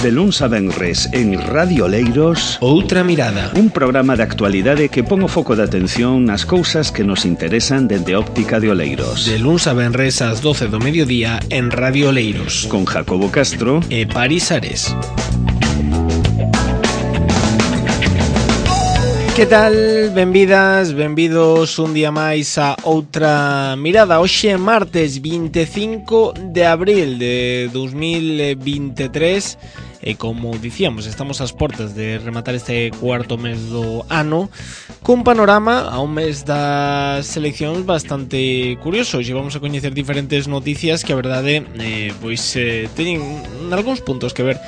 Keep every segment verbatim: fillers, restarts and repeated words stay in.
De luns a venres en Radio Oleiros, Outra Mirada, un programa de actualidade que pon o foco de atención nas cousas que nos interesan dende óptica de Oleiros. De luns a venres ás doce do mediodía en Radio Oleiros, con Jacobo Castro e Paris Ares. Que tal? Benvidas, benvidos un día máis a Outra Mirada. Hoxe é martes vinte e cinco de abril de dos mil vinte e tres e como dicíamos, estamos ás portas de rematar este cuarto mes do ano cun panorama a un mes das seleccións bastante curioso. Hoxe vamos a coñecer diferentes noticias que a verdade eh, pois eh, teñen algúns puntos que ver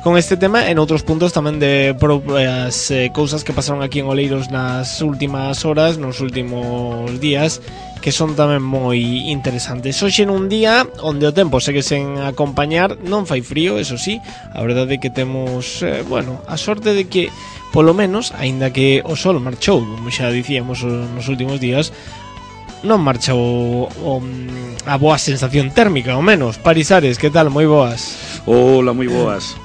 con este tema e en outros puntos tamén de propias eh, cousas que pasaron aquí en Oleiros nas últimas horas, nos últimos días, que son tamén moi interesantes. Hoxe nun día onde o tempo segue sen acompañar, non fai frío, eso sí, a verdade é que temos, eh, bueno, a sorte de que polo menos, aínda que o sol marchou, como xa dicíamos nos últimos días, non marcha o, o, a boa sensación térmica, ao menos. Paris Ares, que tal? Moi boas. Hola, moi boas.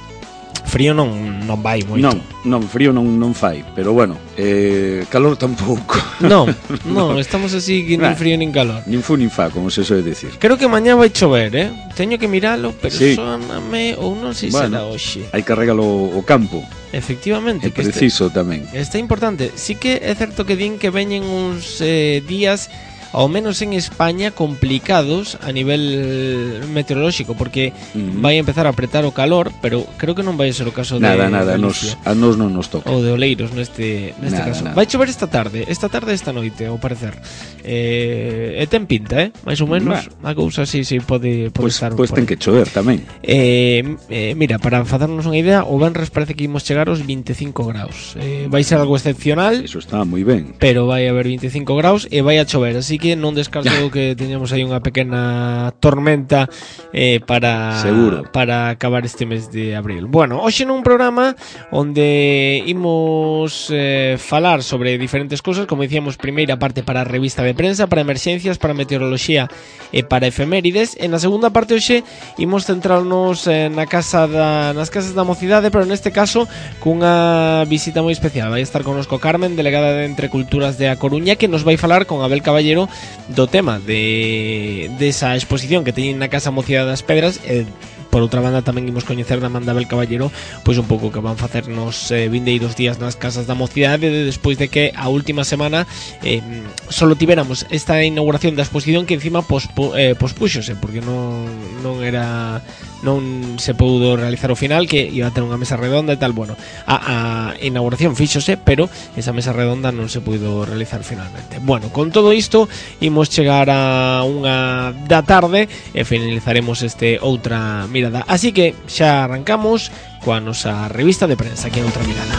Frío non non vai moito. Non, non, frío non non fai, pero bueno, eh, calor tampouco. Non, non, estamos así que nin frío nin calor. Nin fu nin fa, como se soe decir. Creo que mañá vai chover, eh? Teño que miralo, pero sí. Sóname ou non sei se bueno, será hoxe. Hai que regalo o campo. Efectivamente, é preciso este, tamén. Está importante. Sí que é certo que din que veñen uns eh, días ao menos en España complicados a nivel meteorolóxico, porque uh-huh. vai empezar a apretar o calor, pero creo que non vai ser o caso nada, de nada, Galicia. Nos, a nos non nos toca. Ou de Oleiros neste, neste nada, caso. Nada. Vai chover esta tarde, esta tarde esta noite, ao parecer. Eh, e ten pinta, eh? Mais ou menos, a cousa así se pode, pode pues, estar. Pois pues ten que chover tamén. Eh, eh, mira, para facernos unha idea, o venres parece que imos chegar aos vinte e cinco graus. Eh, vai ser algo excepcional. Eso está moi ben. Pero vai haber vinte e cinco graus e vai a chover, así que non descarto que teñamos aí unha pequena tormenta eh, para Seguro. para acabar este mes de abril. Bueno, hoxe nun programa onde imos eh, falar sobre diferentes cousas, como dicíamos, primeira parte para a revista de prensa, para emerxencias, para meteoroloxía e para efemérides. En a segunda parte hoxe imos centrarnos eh, na casa da, nas casas da mocidade, pero neste caso cunha visita moi especial. Vai estar connosco Carmen, delegada de Entre Culturas de A Coruña, que nos vai falar con Abel Caballero do tema de desa de exposición que teñen na Casa Mocidade das Pedras. E por outra banda tamén imos coñecer da man de Abel Caballero pois un pouco que van facer nos eh, vindeiros días nas casas da mocidade, de, despois de que a última semana eh, solo tiveramos esta inauguración da exposición que encima pospu, eh, pospuxose porque non, non era non se pudo realizar o final, que iba a ter unha mesa redonda e tal. Bueno, a, a inauguración fíxose, pero esa mesa redonda non se pudo realizar finalmente. Bueno, con todo isto imos chegar a unha da tarde e finalizaremos este Outra Mirada. Así que xa arrancamos coa nosa revista de prensa aquí en Outra Mirada.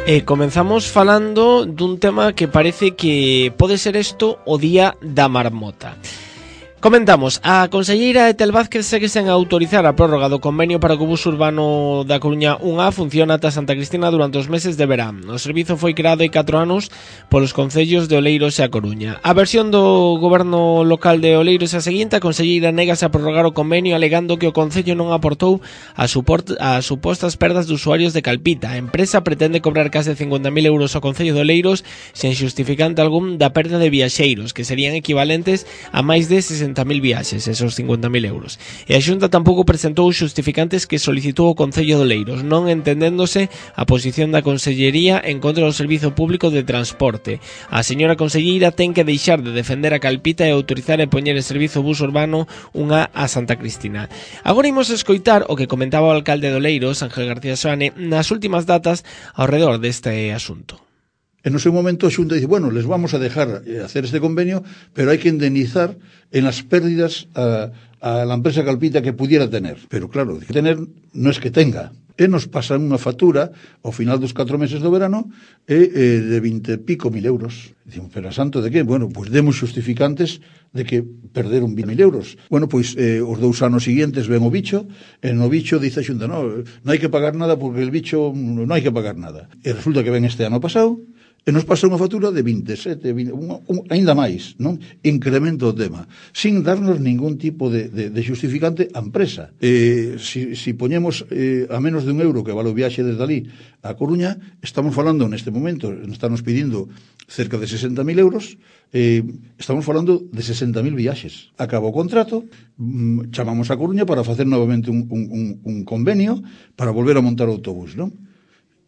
E comenzamos falando dun tema que parece que pode ser isto o día da marmota. Comentamos, a conselleira Etel Vázquez segue sen autorizar a prórroga do convenio para que o bus urbano da Coruña un A funcione ata Santa Cristina durante os meses de verán. O servizo foi creado hai catro anos polos concellos de Oleiros e A Coruña. A versión do goberno local de Oleiros é a seguinte: a conselleira negase a prorrogar o convenio alegando que o concello non aportou as supostas perdas de usuarios de Calpita. A empresa pretende cobrar case cincuenta mil euros ao concello de Oleiros sen xustificante algún da perda de viaxeiros, que serían equivalentes a máis de sesenta mil viaxes, esos cincuenta mil euros. E a Xunta tampouco presentou os xustificantes que solicitou o Concello de Oleiros, non entendéndose a posición da Consellería en contra do Servizo Público de Transporte. A señora conselleira ten que deixar de defender a Calpita e autorizar e poñer en servizo bus urbano unha a Santa Cristina. Agora imos escoitar o que comentaba o alcalde de Oleiros, Ángel García Soane, nas últimas datas ao redor deste asunto. En ese momento a Xunta dice, bueno, les vamos a dejar hacer este convenio, pero hay que indemnizar en las pérdidas a, a la empresa Calpita que pudiera tener. Pero claro, que tener no es que tenga. E nos pasan unha factura ao final dos catro meses do verano e, eh, de vinte e pico mil euros. Dicimos, pero a santo de que? Bueno, pois pues demos justificantes de que perderon vinte mil euros. Bueno, pois pues, eh, os dous anos seguintes ven o bicho, e no bicho dice a Xunta, no, non hai que pagar nada porque el bicho non hai que pagar nada. E resulta que ven este ano pasado, E nos pasa unha factura de veintisiete, vinte, un, un, ainda máis, non? Incremento o tema, sin darnos ningún tipo de, de, de justificante á empresa. Eh, si, si poñemos eh, a menos de un euro que vale o viaxe desde ali a Coruña, estamos falando neste momento, estamos pedindo cerca de sesenta mil euros, eh, estamos falando de sesenta mil viaxes. Acaba o contrato, mm, chamamos a Coruña para facer novamente un, un, un, un convenio para volver a montar o autobús, non?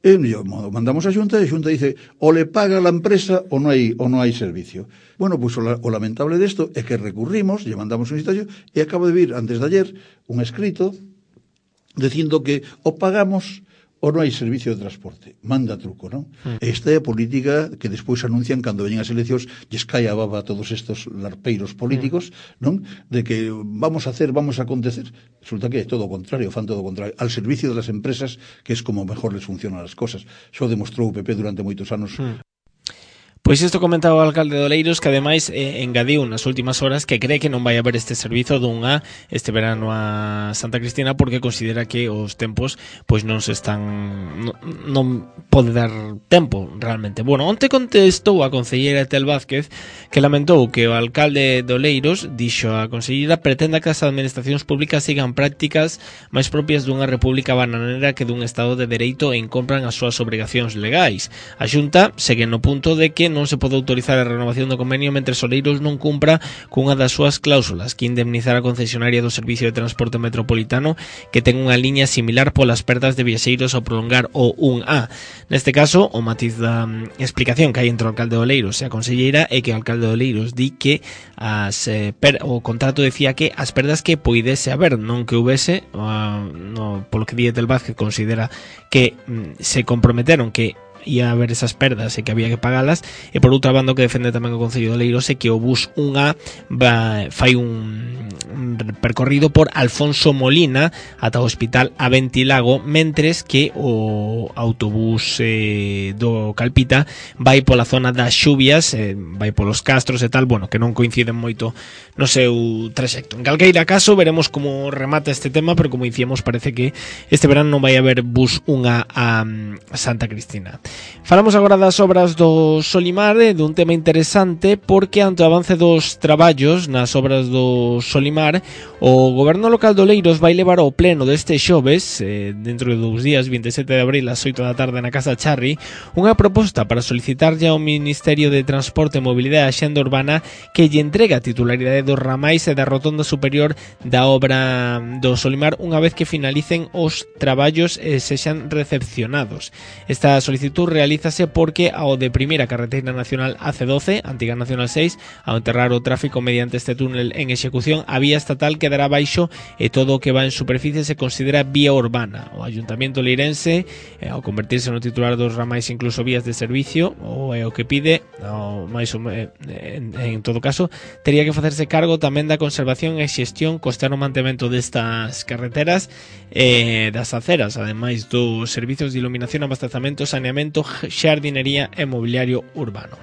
E mandamos a Xunta e a Xunta dice o le paga a la empresa ou non hai, ou non hai servicio. Bueno, pois pues, o, o lamentable desto é que recurrimos, lle mandamos un citacio e acaba de vir antes de ayer un escrito dicindo que o pagamos ou non hai servicio de transporte. Manda truco, non? Mm. Esta é a política que despois anuncian cando veñen as eleccións, lles cae a baba a todos estos larpeiros políticos, mm. non? De que vamos a hacer, vamos a acontecer. Resulta que é todo o contrario, fan todo o contrario. Al servicio das empresas, que é como mejor les funcionan as cosas. Xo demostrou o P P durante moitos anos. Mm. Pois isto comentaba o alcalde de Oleiros, que ademais eh, engadiu nas últimas horas que cree que non vai haber este servizo dun A este verano a Santa Cristina porque considera que os tempos pois non se están non, non pode dar tempo realmente. Bueno, onte contestou a concelleira Etel Vázquez que lamentou que o alcalde de Oleiros dixo a concelleira pretenda que as administracións públicas sigan prácticas máis propias dunha república bananera que dun estado de dereito e incompran as súas obrigacións legais. A Xunta segue no punto de que non se pode autorizar a renovación do convenio mentre Oleiros non cumpra cunha das súas cláusulas que indemnizar a concesionaria do Servicio de Transporte Metropolitano que ten unha liña similar polas perdas de viaxeiros ao prolongar o un A. Neste caso, o matiz da explicación que hai entre o alcalde de Oleiros e a conselleira é que o alcalde de Oleiros di que as, eh, per, o contrato decía que as perdas que poidese haber, non que houvese, uh, no, polo que di Etel Vázquez considera que mm, se comprometeron que ia haber esas perdas e que había que pagalas, e por outra banda o que defende tamén o Concello de Oleiros é que o bus un A va, fai un, un percorrido por Alfonso Molina ata o hospital Aventilago, mentres que o autobús eh, do Calpita vai pola zona das Xubias, eh, vai polos Castros e tal, bueno, que non coinciden moito no seu traxecto. En calqueira caso, veremos como remata este tema, pero como dicíamos, parece que este verano non vai haber bus un A a, a Santa Cristina. Falamos agora das obras do Solimar, dun tema interesante porque ante o avance dos traballos nas obras do Solimar, o goberno local de Oleiros vai levar ao pleno deste xoves, eh, dentro de dous días, vinte e sete de abril, ás oito da tarde na Casa Charri, unha proposta para solicitarlle ao Ministerio de Transporte, Mobilidade e Axenda Urbana que lle entrega a titularidade dos ramais e da rotonda superior da obra do Solimar unha vez que finalicen os traballos e sexan recepcionados. Esta solicitud realízase porque ao deprimir a carretera nacional A C doce, antiga nacional seis, ao enterrar o tráfico mediante este túnel en execución, a vía estatal quedará baixo e todo o que va en superficie se considera vía urbana. O Ayuntamiento leirense, eh, ao convertirse no titular dos ramais incluso vías de servicio, ou é o que pide, o máis ou, eh, en, en todo caso, tería que facerse cargo tamén da conservación e xestión, costear o mantemento destas carreteras e eh, das aceras, ademais dos servicios de iluminación, abastecamento, saneamento, xardinería e mobiliario urbano.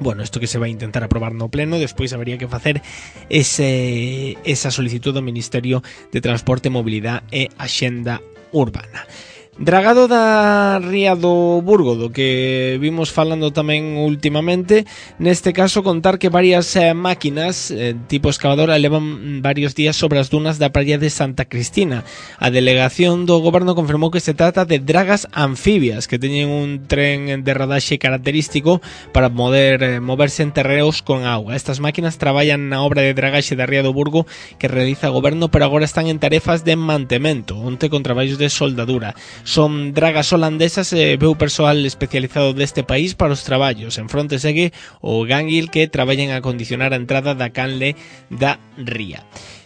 Bueno, isto que se vai intentar aprobar no pleno, despois habería que facer ese, esa solicitud do Ministerio de Transporte, Mobilidade e Axenda Urbana. Dragado da ría do Burgo, do que vimos falando tamén últimamente, neste caso contar que varias eh, máquinas eh, tipo excavadora levan varios días sobre as dunas da praia de Santa Cristina. A delegación do goberno confirmou que se trata de dragas anfibias que teñen un tren de rodaxe característico para poder eh, moverse en terreos con auga. Estas máquinas traballan na obra de dragaxe da ría do Burgo que realiza o goberno, pero agora están en tarefas de mantemento, onte con traballos de soldadura. Son dragas holandesas e veu persoal especializado deste país para os traballos. En fronte segue o Ganguil que traballa en acondicionar a entrada da canle da ría.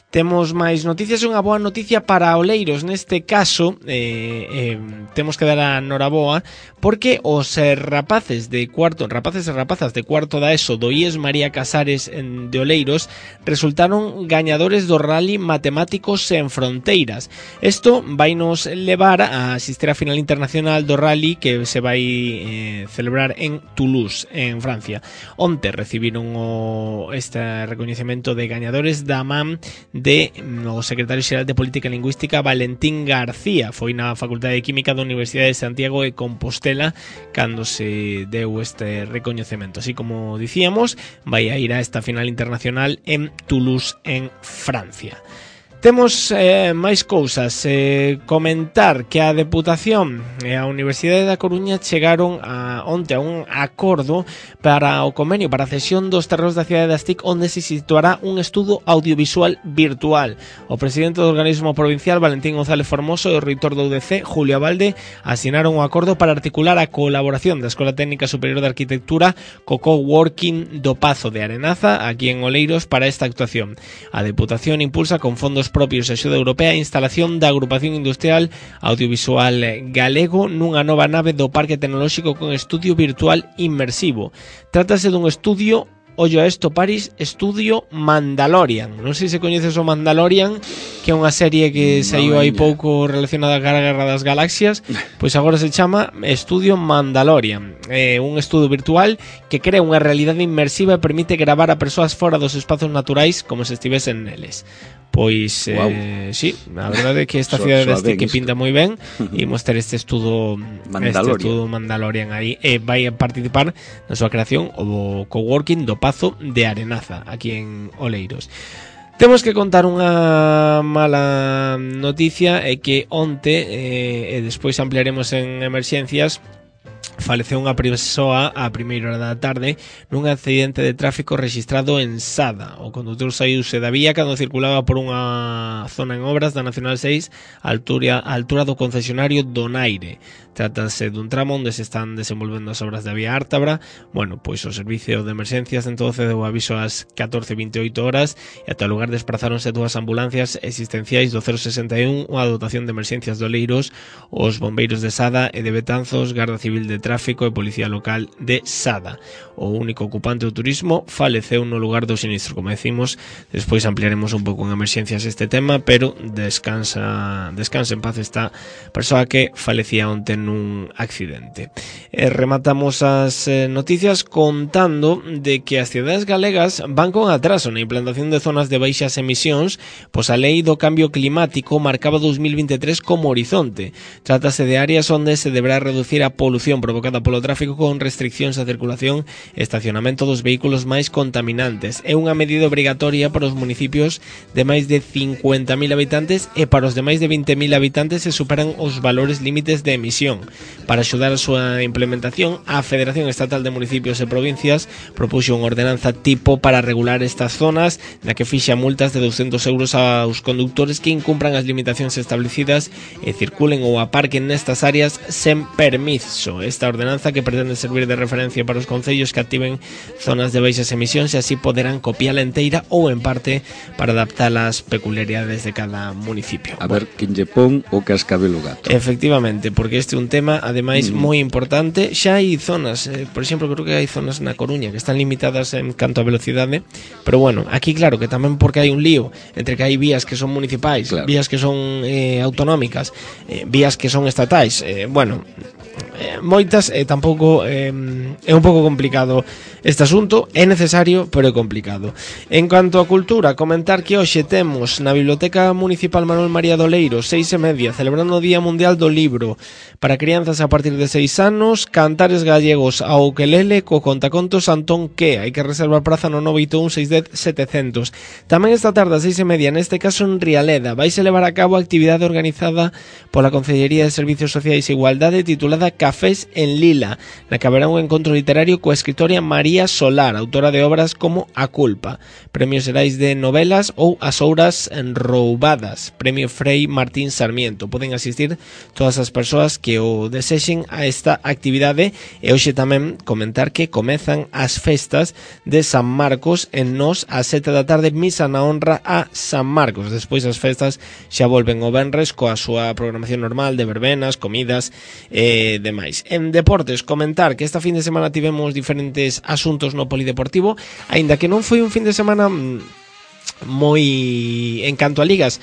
Temos máis noticias, unha boa noticia para Oleiros. Neste caso, eh, eh, temos que dar a noraboa porque os eh, rapaces de cuarto, rapaces e rapazas de cuarto da ESO do I E S María Casares en, de Oleiros resultaron gañadores do Rally Matemáticos en Fronteiras. Isto vai nos levar a asistir á final internacional do Rally que se vai eh, celebrar en Toulouse, en Francia. Onte recibiron o, este recoñecemento de gañadores da man de o secretario xeral de Política Lingüística Valentín García. Foi na Facultade de Química da Universidade de Santiago de Compostela cando se deu este recoñecemento. Así como dicíamos, vai a ir a esta final internacional en Toulouse, en Francia. Temos eh, máis cousas. Eh, comentar que a Deputación e a Universidade da Coruña chegaron a, onte a un acordo para o convenio para a cesión dos terreos da cidade das T I C, onde se situará un estudo audiovisual virtual. O presidente do organismo provincial, Valentín González Formoso, e o reitor do U D C, Julio Abalde, asinaron un acordo para articular a colaboración da Escola Técnica Superior de Arquitectura co coworking do Pazo de Arenaza, aquí en Oleiros, para esta actuación. A Deputación impulsa con fondos propios e axuda europea a instalación da agrupación industrial audiovisual galego nunha nova nave do Parque Tecnolóxico con estudio virtual inmersivo. Trátase dun estudio, ollo a esto, Paris, estudio Mandalorian. Non sei se coñeces o Mandalorian, que é unha serie que saiu hai pouco relacionada ca Guerra das Galaxias, pois agora se chama Estudio Mandalorian. É un estudo virtual que crea unha realidade inmersiva e permite gravar a persoas fora dos espazos naturais como se estivesen neles. Pois, wow. eh, sí, a verdade é que esta cidade deste que pinta moi ben e mostrar este estudo Mandalorian. este estudo Mandalorian aí, e vai a participar na súa creación o coworking do Pazo de Arenaza, aquí en Oleiros. Temos que contar unha mala noticia, é que onte, eh, e despois ampliaremos en emerxencias, faleceu unha persoa a primeira hora da tarde nun accidente de tráfico registrado en Sada. O condutor saíuse da vía cando circulaba por unha zona en obras da Nacional seis a altura, a altura do concesionario Donaire. Trátase dun tramo onde se están desenvolvendo as obras da vía Ártabra. Bueno, pois o servicio de emerxencias entonces deu aviso ás catorce e vinte e oito horas e ata o lugar desprazáronse dúas ambulancias existenciais do cero sesenta e un, unha dotación de emerxencias de Oleiros, os bombeiros de Sada e de Betanzos, Garda Civil de Tráfico e Policía Local de Sada. O único ocupante do turismo faleceu no lugar do sinistro. Como decimos, despois ampliaremos un pouco en emerxencias este tema, pero descansa descansa en paz esta persoa que falecía onte nun accidente. E rematamos as eh, noticias contando de que as cidades galegas van con atraso na implantación de zonas de baixas emisións, pois a lei do cambio climático marcaba dos mil vinte e tres como horizonte. Trátase de áreas onde se deberá reducir a polución provocada polo tráfico con restriccións a circulación e estacionamento dos vehículos máis contaminantes. É unha medida obrigatoria para os municipios de máis de cincuenta mil habitantes e para os de máis de vinte mil habitantes se superan os valores límites de emisión. Para axudar a súa implementación, a Federación Estatal de Municipios e Provincias propuxo unha ordenanza tipo para regular estas zonas, na que fixa multas de doscientos euros aos conductores que incumpran as limitacións establecidas e circulen ou aparquen nestas áreas sen permiso. Esta ordenanza, que pretende servir de referencia para os concellos que activen zonas de baixas emisións, e así poderán copiala enteira ou en parte para adaptar as peculiaridades de cada municipio. A ver, quen lle pon o cascabelo gato. Efectivamente, porque este é un tema, ademais, mm. moi importante. Xa hai zonas, eh, por exemplo, creo que hai zonas na Coruña que están limitadas en canto a velocidade, pero bueno, aquí claro que tamén porque hai un lío entre que hai vías que son municipais, claro, vías que son eh, autonómicas, eh, vías que son estatais, eh, bueno, eh, moitas, e eh, tampouco eh, é un pouco complicado este asunto. É necesario, pero é complicado. En cuanto a cultura, comentar que hoxe temos na Biblioteca Municipal Manuel María de Oleiros, seis e media, celebrando o Día Mundial do Libro para crianzas a partir de seis anos, cantares gallegos ao ukelele co contacontos Antón Que. Hai que reservar praza no nove oito un seis un cero sete cero cero. Tamén esta tarde a seis e media, neste caso en Rialeda, vais a levar a cabo a actividade organizada pola Concellería de Servicios Sociais e Igualdade titulada Cafés en Lila, na que haberá un encontro literario coa escritora María Solar, autora de obras como A Culpa, Premios Xerais de Novelas ou As Ouras Roubadas, Premio Frei Martín Sarmiento. Poden asistir todas as persoas que o desexen a esta actividade. E hoxe tamén comentar que comezan as festas de San Marcos en Nos a sete da tarde, misa na honra a San Marcos. Despois as festas xa volven o venres coa súa programación normal de verbenas, comidas e demais. En deportes, comentar que esta fin de semana tivemos diferentes asuntos no polideportivo, aínda que non foi un fin de semana moi en canto a ligas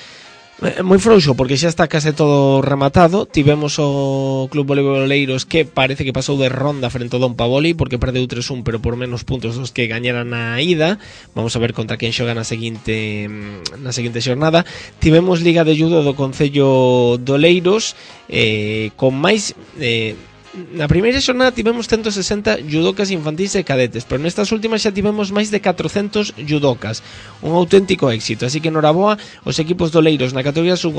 Moi frouxo, porque xa está case todo rematado. Tivemos o Club Voleibol Oleiros que parece que pasou de ronda frente ao Don Pavoli, porque perdeu tres un, pero por menos puntos dos que gañaran na ida. Vamos a ver contra quen xoga na seguinte na seguinte xornada. Tivemos Liga de Judo do Concello de Oleiros, eh, con máis... Eh, na primeira xornada tivemos ciento sesenta judocas infantís e cadetes, pero nestas últimas xa tivemos máis de catrocentos judocas, un auténtico éxito. Así que noraboa os equipos de Oleiros na categoría sub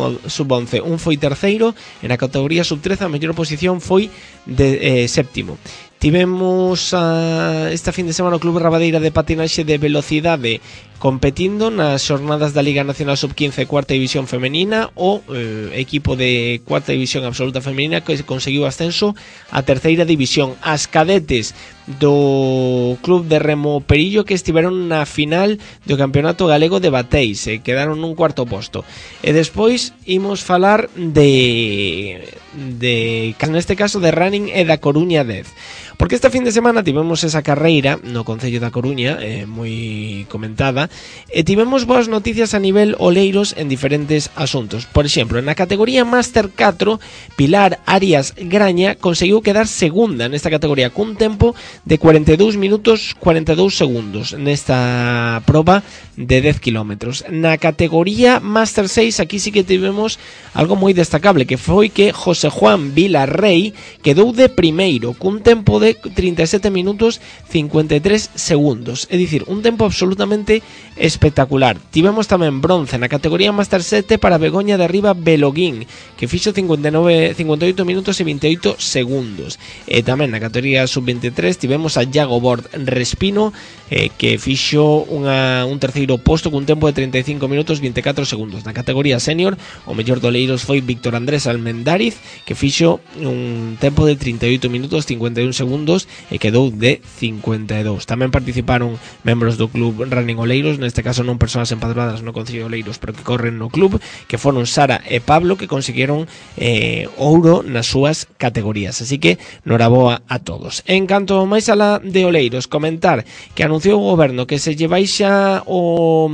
once, un foi terceiro, e na categoría sub trece a mellor posición foi de eh, séptimo. Tivemos a, esta fin de semana o Club Rabadeira de Patinaxe de Velocidade competindo nas xornadas da Liga Nacional sub quince cuarta división femenina. O eh, equipo de cuarta división absoluta femenina que conseguiu ascenso a terceira división. As cadetes do Club de Remo Perillo que estiveron na final do Campeonato Galego de Bateis, e quedaron nun cuarto posto. E despois imos falar de de neste caso de running e da Coruña dez, porque esta fin de semana tivemos esa carreira no Concello da Coruña, eh, moi comentada, e tivemos boas noticias a nivel Oleiros en diferentes asuntos. Por exemplo, na categoría Máster catro, Pilar Arias Graña conseguiu quedar segunda nesta categoría cun tempo de cuarenta e dous minutos cuarenta e dous segundos nesta proba de dez kilómetros. Na categoría Máster seis, aquí sí que tivemos algo moi destacable, que foi que José Juan Vilarrey quedou de primeiro cun tempo de trinta e sete minutos cincuenta e tres segundos, é dicir, un tempo absolutamente espectacular. Tivemos tamén bronce na categoría Máster sete para Begoña de Arriba Beloguín, que fixo cincuenta e nove, cincuenta e oito minutos e vinte e oito segundos. E tamén na categoría sub veintitrés tivemos a Iago Bord Respino, eh, que fixo unha, un terceiro posto cun tempo de treinta e cinco minutos vinte e catro segundos. Na categoría senior, o mellor do Oleiros foi Víctor Andrés Almendariz, que fixo un tempo de trinta e oito minutos cincuenta e un segundos e quedou de cincuenta e dous. Tamén participaron membros do Club Running Oleiros, neste caso non persoas empadroadas no Concello de Oleiros, pero que corren no club, que foron Sara e Pablo, que conseguiron eh, ouro nas súas categorías. Así que noraboa a todos. En canto máis alá de Oleiros, comentar que anunciou o goberno que se lle baixa o,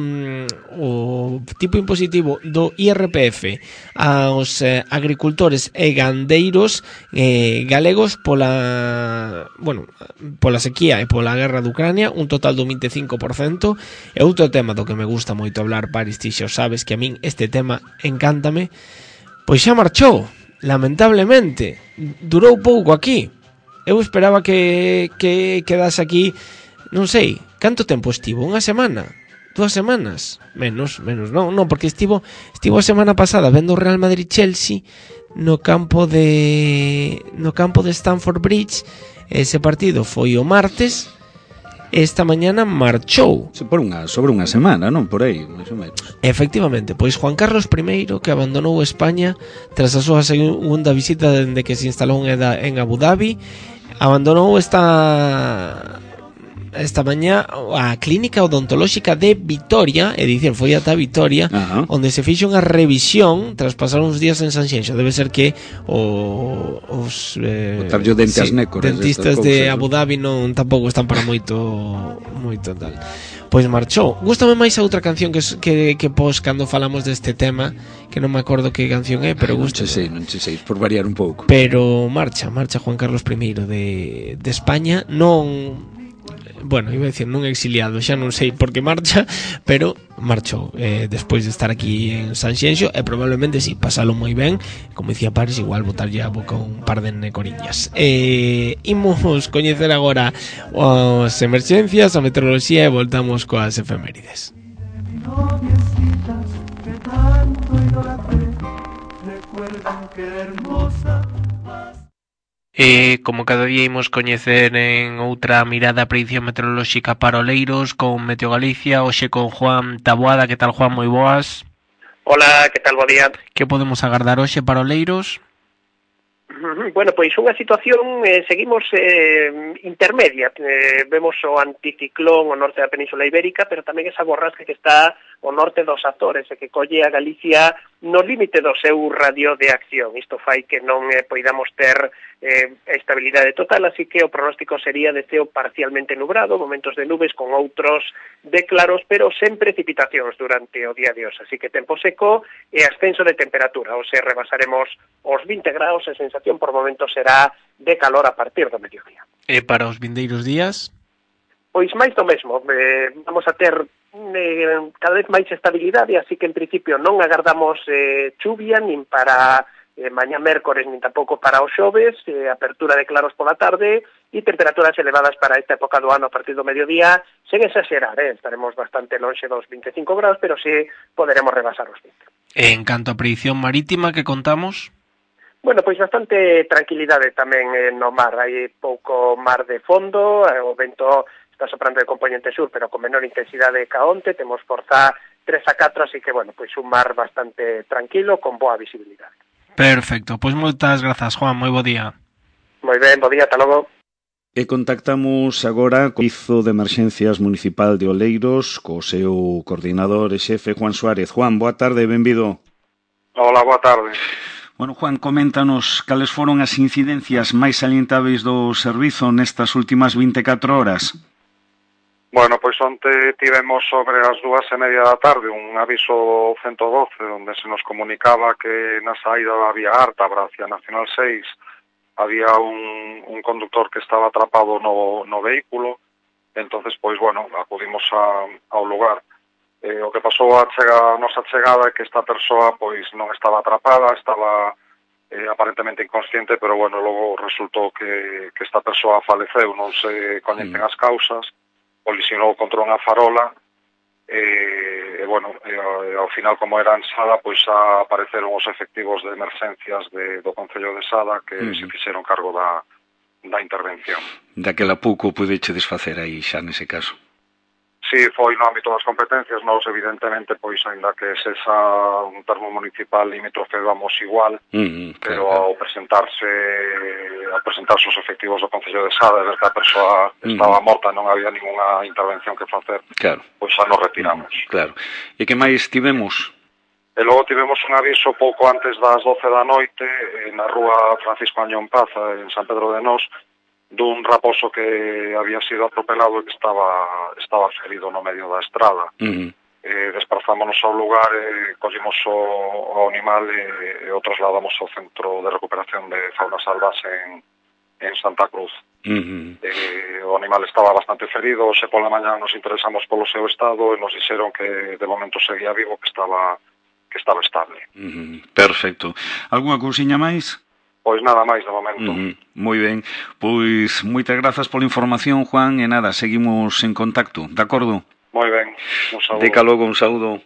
o tipo impositivo do I R P F aos eh, agricultores e gandeiros eh, galegos pola bueno, pola sequía e pola guerra de Ucrania, un total do vinte e cinco por cento. E outro tema do que me gusta moito hablar, Paris, ti xa sabes que a min este tema encántame, pois xa marchou, lamentablemente. Durou pouco aquí. Eu esperaba que, que quedase aquí, non sei, canto tempo estivo? Unha semana? Dúas semanas? Menos, menos, non, non, porque estivo estivo a semana pasada vendo o Real Madrid-Chelsea no campo de no campo de Stamford Bridge. Ese partido foi o martes. Esta mañana marchou. Por unha, sobre unha semana, non? Por aí, máis ou menos. Efectivamente, pois Juan Carlos primeiro, que abandonou España tras a súa segunda visita dende que se instalou en Abu Dhabi, abandonou esta esta mañá a clínica odontolóxica de Vitoria, é dicir, foi ata Vitoria, uh-huh. onde se fixo unha revisión tras pasar uns días en Sanxenxo. Debe ser que o, os eh, sí, nécoras, dentistas de Abu Dhabi non tampouco están para moito moito tal. Pois marchou. Gústame máis a outra canción que, que, que pos cando falamos deste tema, que non me acordo que canción é, pero gusta. Non che sei, non che sei, por variar un pouco. Pero marcha, marcha Juan Carlos primeiro de, de España, non... Bueno, iba a decir non exiliado, xa non sei por que marcha, pero marchou eh, despois de estar aquí en Sanxenxo, e probablemente si, sí, pasalo moi ben, como dicía Paris, igual botarlle a boca un par de necoriñas. Eh, imos coñecer agora as emerxencias, a meteoroloxía, e voltamos coas efemérides. Noviecitas que tanto idolatré, recuerdan que hermosa. E como cada día imos coñecer en outra mirada a predicción meteorolóxica para Oleiros con Meteo Galicia, hoxe con Juan Taboada. Que tal, Juan? Moi boas. Hola, que tal, bo día. Que podemos agardar hoxe para Oleiros? Bueno, pois unha situación, eh, seguimos eh, intermedia. Eh, vemos o anticiclón ao norte da Península Ibérica, pero tamén esa borrasca que está o norte dos Azores e que colle a Galicia no límite do seu radio de acción. Isto fai que non eh, poidamos ter eh, estabilidade total, así que o pronóstico sería de ceo parcialmente nubrado, momentos de nubes con outros de claros, pero sen precipitacións durante o día de hoxe. Así que tempo seco e ascenso de temperatura. Hoxe rebasaremos os vinte graus e sensación por momentos será de calor a partir do mediodía. E para os vindeiros días? Pois máis do mesmo. Eh, vamos a ter eh, cada vez máis estabilidade, así que en principio non agardamos eh, chuvia nin para eh, mañá mércores nin tampouco para os xoves, eh, apertura de claros pola tarde e temperaturas elevadas para esta época do ano a partir do mediodía, sen exagerar, eh, estaremos bastante lonxe dos vinte e cinco graus, pero sí poderemos rebasar os vinte. En canto a predicción marítima que contamos? Bueno, pois bastante tranquilidade tamén eh, no mar, hai pouco mar de fondo, eh, o vento está soprando de componente sur, pero con menor intensidade que onte, temos forza tres a catro, así que, bueno, pois un mar bastante tranquilo, con boa visibilidade. Perfecto, pois moitas grazas, Juan, moi bo día. Moi ben, bo día, ata logo. E contactamos agora co Servizo de Emerxencias Municipal de Oleiros, co seu coordinador e xefe, Juan Suárez. Juan, boa tarde, benvido. Hola, boa tarde. Bueno, Juan, coméntanos cales foron as incidencias máis salientáveis do servizo nestas últimas vinte e catro horas. Bueno, pois onte tivemos sobre as dúas e media da tarde un aviso ciento doce onde se nos comunicaba que na saída da vía Ártabra hacia Nacional seis había un, un conductor que estaba atrapado no, no vehículo. Entonces, pois, bueno, acudimos a, ao lugar. Eh, o que pasou a, chega, a nosa chegada é que esta persoa pois non estaba atrapada, estaba eh, aparentemente inconsciente, pero bueno, logo resultou que, que esta persoa faleceu, non se coñecen as causas, colisionou contra unha farola e, e bueno, e, e, ao final, como era en Sada, pois apareceron os efectivos de emerxencias de, do Concello de Sada que uh-huh. se fixeron cargo da, da intervención. Daquela pouco pudeche desfacer aí xa nese caso. Sí, foi no ámbito das competencias, nós evidentemente, pois, ainda que se xa un termo municipal limítrofe vamos igual, uh-huh, pero claro, ao presentarse ao presentarse os efectivos do Concello de Sada e ver que a persoa estaba uh-huh. morta, non había ninguna intervención que facer, claro, pois xa nos retiramos. Uh-huh, claro. E que máis tivemos? E logo tivemos un aviso pouco antes das doce da noite na rúa Francisco Añón Paza, en San Pedro de Nós, dun raposo que había sido atropelado e que estaba estaba ferido no medio da estrada. Uh-huh. Eh, desplazámonos ao lugar e collimos o, o animal e, e o trasladamos ao Centro de Recuperación de Fauna Salvaxe en, en Santa Cruz. Uh-huh. Eh, o animal estaba bastante ferido, se pola mañá nos interesamos polo seu estado e nos dixeron que de momento seguía vivo, que estaba que estaba estable. Uh-huh. Perfecto. Algúna cousiña máis? Pois nada máis de momento. Uh-huh. Moi ben. Pois moitas grazas pola información, Juan, e nada, seguimos en contacto, de acordo? Moi ben, un saúdo. Deca logo, un saúdo.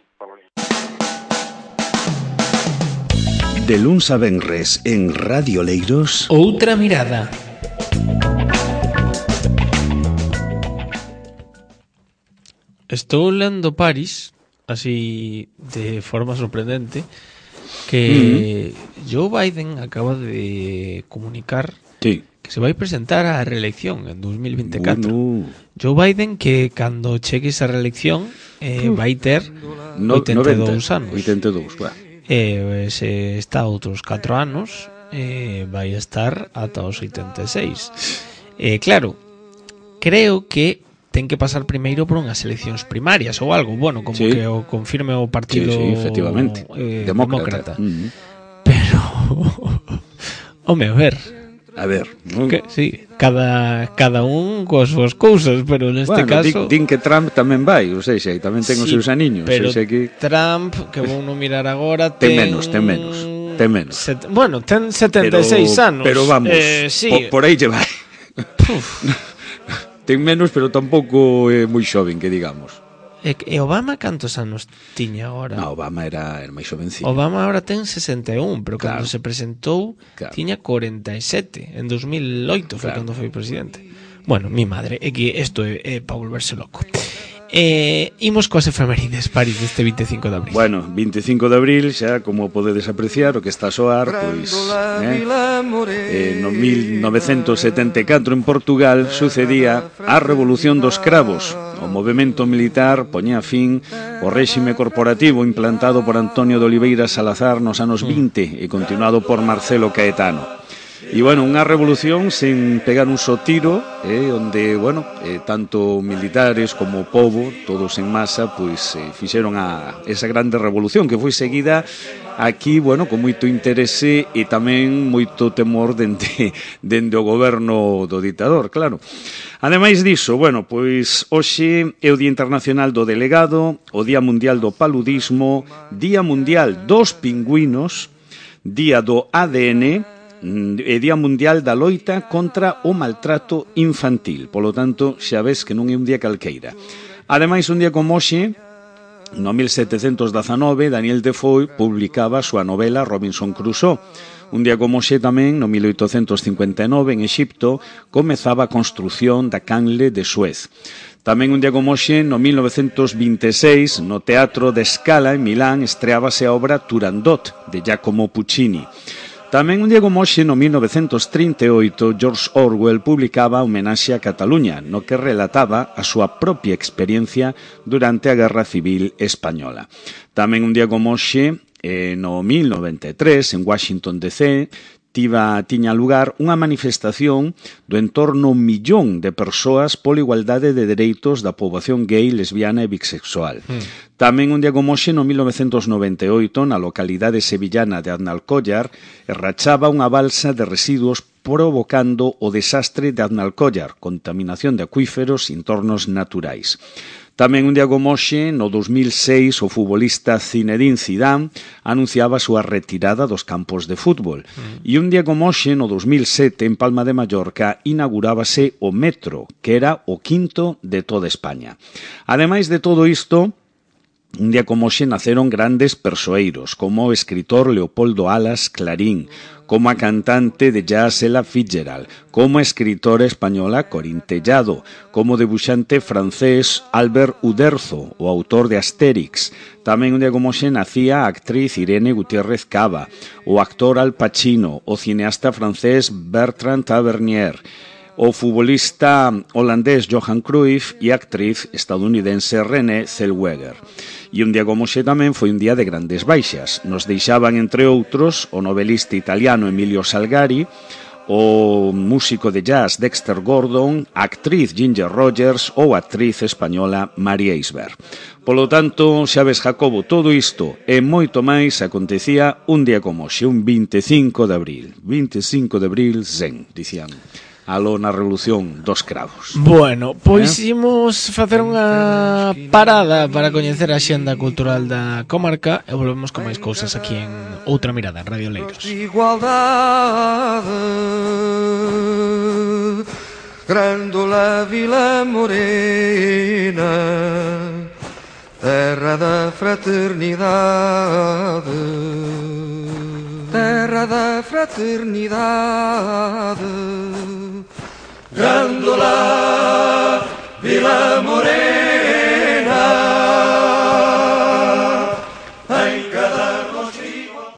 De luns a venres en Radio Oleiros, Outra mirada. Estou lendo Paris, así de forma sorprendente, que uh-huh. Joe Biden acaba de comunicar sí. que se vai presentar á reelección en dos mil vinte e catro. Bueno. Joe Biden que cando chegue esa reelección eh, uh. vai ter no, oitenta e dous anos. oitenta e dous, claro. E se está outros catro anos, eh, vai estar ata os oitenta e seis. Eh, claro, creo que ten que pasar primeiro por unhas eleccións primarias ou algo, bueno, como sí. que o confirme o partido sí, sí, efectivamente. Eh, demócrata, demócrata. Uh-huh. Pero home, a ver a ver, ¿no? Que, sí, cada, cada un coas súas cousas, pero neste bueno, caso din, din que Trump tamén vai, ou seja, tamén ten sí, os seus aniños, pero sei que Trump, que vou non mirar agora, ten, ten menos, ten menos, ten menos. Set, bueno, ten setenta e seis pero, anos. Pero vamos, eh, sí. por, por aí lle vai. Ten menos, pero tampouco é moi xoven, que digamos. E, e Obama cantos anos tiña agora? No, Obama era, era máis xovencillo. Obama agora ten sesenta e un, pero claro. cando se presentou claro. tiña cuarenta e sete. En dos mil oito foi claro. cando foi presidente. Bueno, mi madre, é que isto é, é para volverse loco. Eh, imos coas efemérides, París, deste vinte e cinco de abril. Bueno, vinte e cinco de abril, xa como podedes apreciar, o que está a soar, pois eh, eh, no mil novecentos setenta e catro en Portugal sucedía a Revolución dos Cravos, O movemento militar poñía fin ao réxime corporativo implantado por Antonio de Oliveira Salazar nos anos vinte e continuado por Marcelo Caetano. E, bueno, unha revolución sen pegar un só tiro, eh, onde, bueno, eh, tanto militares como povo, todos en masa, pois eh, fixeron a esa grande revolución que foi seguida aquí, bueno, con moito interese e tamén moito temor dende, dende o goberno do ditador, claro. Ademais diso, bueno, pois hoxe é o Día Internacional do Delegado, o Día Mundial do Paludismo, Día Mundial dos Pingüinos, Día do A D N e Día Mundial da Loita contra o Maltrato Infantil. Polo tanto, xa ves que non é un día calqueira. Ademais, un día como hoxe, no mil setecentos dezanove, Daniel Defoe publicaba a súa novela Robinson Crusoe. Un día como hoxe tamén, no mil oitocentos cincuenta e nove, en Exipto, comezaba a construción da canle de Suez. Tamén un día como hoxe, no mil novecentos vinte e seis, no Teatro de Scala, en Milán, estreábase a obra Turandot, de Giacomo Puccini. Tamén un día como hoxe, no mil novecentos trinta e oito, George Orwell publicaba Homenaxe a Cataluña, no que relataba a súa propia experiencia durante a Guerra Civil Española. Tamén un día como hoxe, eh, no mil noventa e tres, en Washington D C, tiba, tiña lugar unha manifestación do entorno un millón de persoas pola igualdade de dereitos da poboación gay, lesbiana e bisexual. Mm. Tamén un día como hoxe, no mil novecentos noventa e oito, na localidade sevillana de Aznalcóllar, rachaba unha balsa de residuos provocando o desastre de Aznalcóllar, contaminación de acuíferos e entornos naturais. Tamén un día como hoxe, no dos mil seis, o futbolista Zinedine Zidane anunciaba a súa retirada dos campos de fútbol. Mm. E un día como hoxe, no dos mil sete, en Palma de Mallorca, inaugurábase o metro, que era o quinto de toda España. Ademais de todo isto, un día como hoxe naceron grandes persoeiros, como o escritor Leopoldo Alas Clarín, como a cantante de jazz Ella Fitzgerald, como a escritora española Corín Tellado, como o debuxante francés Albert Uderzo, o autor de Astérix. Tamén un día como hoxe nacía a actriz Irene Gutiérrez Cava, o actor Al Pacino, o cineasta francés Bertrand Tavernier, o futbolista holandés Johan Cruyff e a actriz estadounidense Renée Zellweger. E un día como hoxe tamén foi un día de grandes baixas. Nos deixaban, entre outros, o novelista italiano Emilio Salgari, o músico de jazz Dexter Gordon, a actriz Ginger Rogers ou a actriz española María Isber. Polo tanto, xa ves, Jacobo, todo isto e moito máis acontecía un día como hoxe, un vinte e cinco de abril. vinte e cinco de abril, zen, dicían. Aló na revolución dos cravos. Bueno, pois eh? imos facer unha parada para coñecer a xenda cultural da comarca e volvemos con máis cousas aquí en Outra Mirada, en Radio Leiros. Igualdade, Grândola Vila Morena, terra da fraternidade, terra da fraternidade. Grândola Vila Morena,